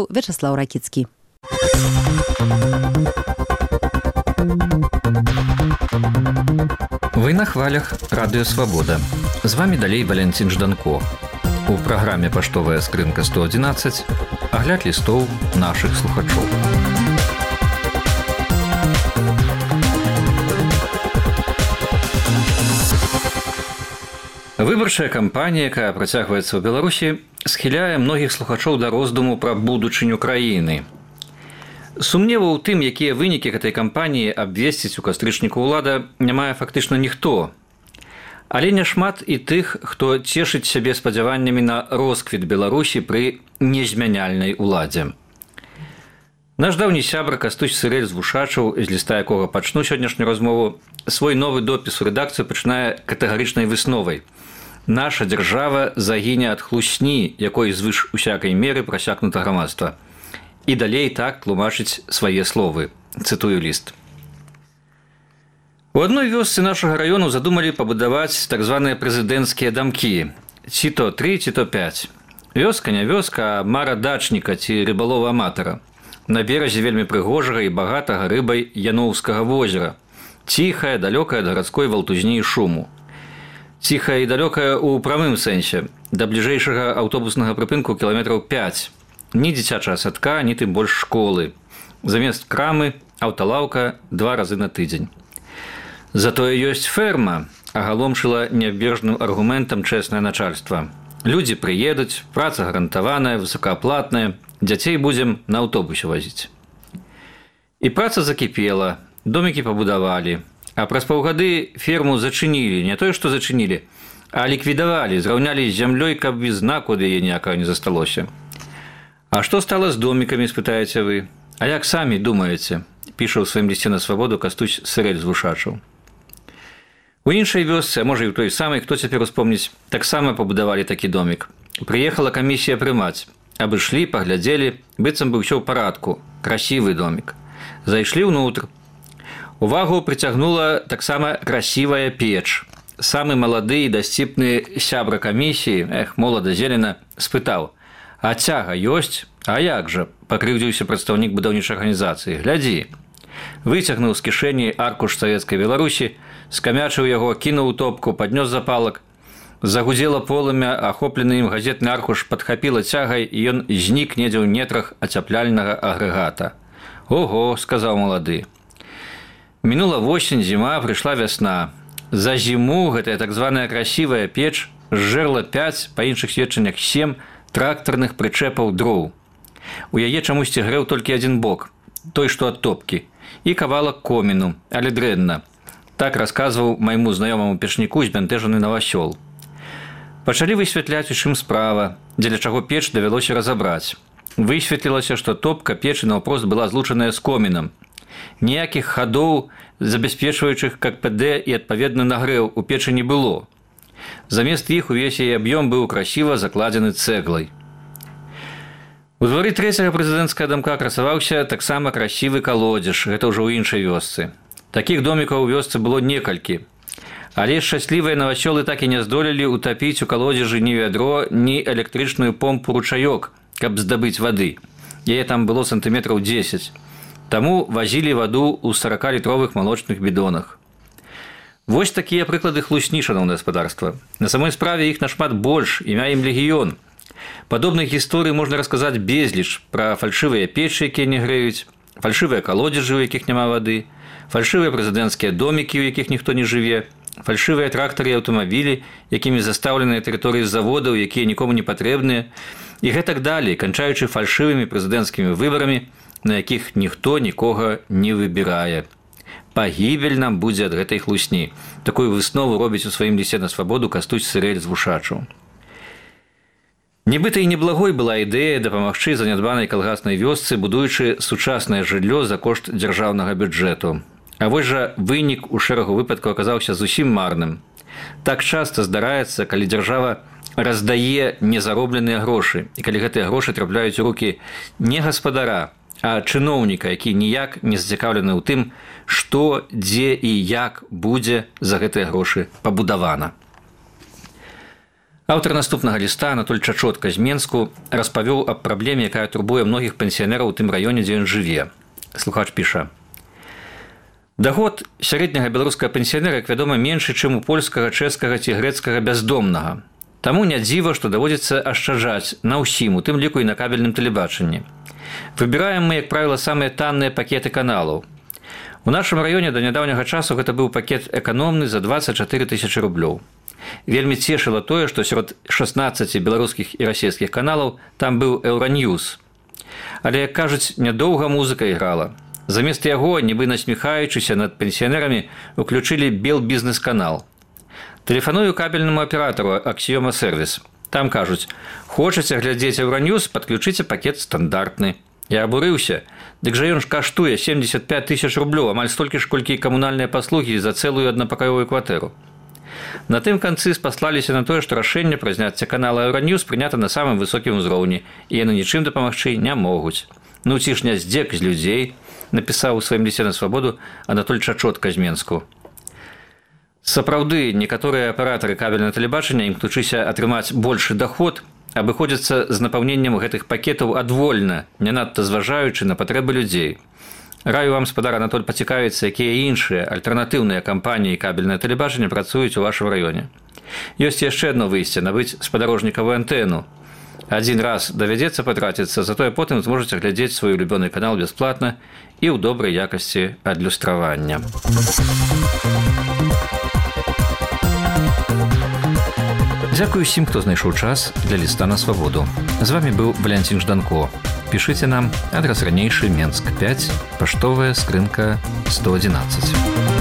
Вячеслав Ракицкий. Вы на хвалях Радыё Свабода. З вами далей Валянцін Жданко. У праграме «Паштовая скрынка 111» агляд лістоў нашых слухачоў. Выбарчая кампанія, якая працягваецца ў Беларусі, схіляе многіх слухачоў да роздуму пра будучыню краіны. Сумневу ў тым, якія вынікі гэтай кампаніі абвесціць у кастрычніку ўлада, не мае фактычна ніхто. Але няшмат і тых, хто цешыць сябе спадзяваннямі на росквіт Беларусі пры незмяняльнай уладзе. Наш даўні сябра Кастусь Сырэль з Вушачаў, з ліста якога пачну сённяшнюю размову, свой новы допіс у рэдакцыю пачынае катэгарычнай высновай. Наша дзяржава загіне ад хлусні, якой звыш усякай меры прасякнута грамадства. І далей так тлумачыць свае словы. Цытую ліст. У адной вёсцы нашага раёну задумалі пабудаваць так званыя прэзідэнцкія дамкі. Ці то 3, ці то 5. Вёска не вёска, а мара дачніка ці рыбалова-аматара. На беразе вельмі прыгожага і багатага рыбай Яноўскага возера. Ціхая, далёкая ад гарадской валтузні і шуму. Ціхая і далёкая ў прамым сэнсе. Да бліжэйшага аўтобуснага прыпынку кіламетраў 5. Ні дзіцячага садка, ні тым больш школы. Замест крамы, аўталаўка 2 разы на тыдзень. Затое ёсць ферма, агаломшыла нябежным аргументам чэснае начальства. Людзі прыедуць, праца гарантаваная, высокааплатная, дзяцей будзем на аўтобусе вазіць. І праца закіпела, домікі пабудавалі, а праз паўгады ферму зачынілі, не тое, што зачынілі, а ліквідавалі, зраўнялі з зямлёй, каб і знаку ад яе ніякага не засталося. А што стала з домікамі, спытаеце вы? А як самі думаеце? Піша ў сваім лісце на Свабоду Кастусь Сырэль з Вушачаў. У іншай вёсцы, а можа і ў той самай, хто цяпер успомніць, таксама пабудавалі такі домік. Прыехала камісія прымаць. Абышлі, паглядзелі, быццам бы ўсё ў парадку. Красівы домік. Зайшлі ўнутр. Увагу прыцягнула таксама красівая печ. Самы малады і дасціпны сябра камісіі, молада зелена, спытаў: «А цяга ёсць? А як жа?» – пакрыўдзіўся прадстаўнік будаўнічай арганізацыі. «Глядзі». Выцягнуў з кішэні аркуш савецкай Беларусі, скамячыў яго, кінуў у топку, паднёс запалак. Загудзела полымя, ахоплены ім газетны аркуш падхапіла цягай, і ён знік недзе ў нетрах ацяпляльнага агрэгата. «Ого», – сказаў малады. Мінула восень, зіма, прыйшла вясна. За зіму гэтая так званая красівая печ зжэрла 5, па іншых сведчаннях 7, трактарных прычэпаў дроў. У яе чамусьці грэў толькі адзін бок, той, што ад топкі, і кавалак коміну, але дрэнна. Так расказваў майму знаёмаму печніку збянтэжаны Навасёл. Пачалі высвятляць, у чым справа, дзеля чаго печ давялося разабраць. Высветлілася, што топка печы наўпрост была злучаная з комінам. Ніякіх хадоў, забяспечваючых КПД і адпаведны нагрэў у печы не было. Замест іх увесь яе аб'ём быў красіва закладзены цэглай. У двары 3-го прэзідэнцкага дамка красаваўся таксама красівы калодзеж, гэта ўжо ў іншай вёсцы. Такіх домікаў у вёсцы было некалькі. Але шчаслівыя навасёлы так і не здолелі утапіць у калодзежы ні вядро, ні электрычную помпу-ручаёк, каб здабыць вады. Яе там было сантыметраў 10. Таму вазілі ваду ў 40-літровых малочных бідонах. Вось такія прыклады хлусні, шаноўнае гаспадарства. На самой справе іх нашмат больш, імя ім легіён. Падобных гісторый можна расказаць безліч пра фальшывыя печы, якія не грэюць, фальшывыя калодзежы, у якіх няма вады, фальшывыя прэзідэнцкія домікі, у якіх ніхто не жыве, фальшывыя трактары і аўтамабілі, якімі застаўленыя тэрыторыі заводаў, якія нікому не патрэбныя, і гэтак далей, канчаючы фальшывымі прэзідэнцкімі выбарамі, на якіх ніхто нікога не выбірае. Пагібель нам будзе ад гэтай хлусні. Такую выснову робіць у сваім лісце на Свабоду Кастусь Сырэль з Вушачаў. Нібыта і неблагой была ідэя дапамагчы занядбанай калгаснай вёсцы, будуючы сучаснае жыллё за кошт дзяржаўнага бюджэту. А вось жа вынік у шэрагу выпадкаў аказаўся зусім марным. Так часта здараецца, калі дзяржава раздае незаробленыя грошы, і калі гэтыя грошы трапляюць у рукі не гаспадара, а чыноўніка, які ніяк не зацікаўлены ў тым, што, дзе і як будзе за гэтыя грошы пабудавана. Аўтар наступнага ліста Анатоль Чачотка з Менску распавёў аб праблеме, якая турбуе многіх пенсіянераў у тым раёне, дзе ён жыве. Слухач піша: доход сярэдняга беларускага пенсіянера, як вядома, меншы, чым у польскага, чэшскага ці грэцкага бяздомнага. Таму не дзіва, што даводзіцца ашчаджаць на ўсім, у тым ліку і на кабельным тэлебачанні. Выбіраем мы, як правіла, самыя танныя пакеты каналаў. У нашым раёне да нядаўняга часу гэта быў пакет эканомны за 24 тысячы рублёў. Вельмі цешыла тое, што сярод 16 беларускіх і расійскіх каналаў там быў Еўраньюз. Але, як кажуць, нядоўга музыка іграла. Замест яго, нібы насміхаючыся над пенсіянерамі, уключылі Белбізнес-канал. Тэлефаную кабельнаму аператару Аксіёма Сервіс. Там кажуць: хочаце глядзець Еўраньюз, падключыце пакет стандартны. Я абурыўся. Дык жа ён ж каштуе 75 тысяч рублёў, амаль столькі ж, колькі і камунальныя паслугі за цэлую аднапакаёвую кватэру. На тым канцы спаслаліся на тое, што рашэнне пра зняцце канала Еўраньюз прынята на самым высокім узроўні, і яны нічым дапамагчы не могуць. Ну ці ж не здзек з людзей, напісаў у сваім лісце на свабоду Анатоль Чачотка з Менску. Сапраўды, некаторыя аператары кабельнага тэлебачання, імкнучыся атрымаць большы даход, абыходзяцца з напаўненнем гэтых пакетаў адвольна, не надта зважаючы на патрэбы людзей. Раю вам, спадар Анатоль, пацікавіцца, якія іншыя альтэрнатыўныя кампаніі кабельнае тэлебачання працуюць у вашым раёне. Ёсць яшчэ адно выйсце — набыць спадарожнікавую антэну. Адзін раз давядзецца патраціцца, затое потым зможаце глядзець свой улюбёны канал бясплатна і ў добрай якасці адлюстравання. Дзякую усім, хто знайшоў час для ліста на свабоду. З вами быў Валянцін Жданко. Пішыце нам, адрас ранейшы, Менск 5, паштовая скрынка 111.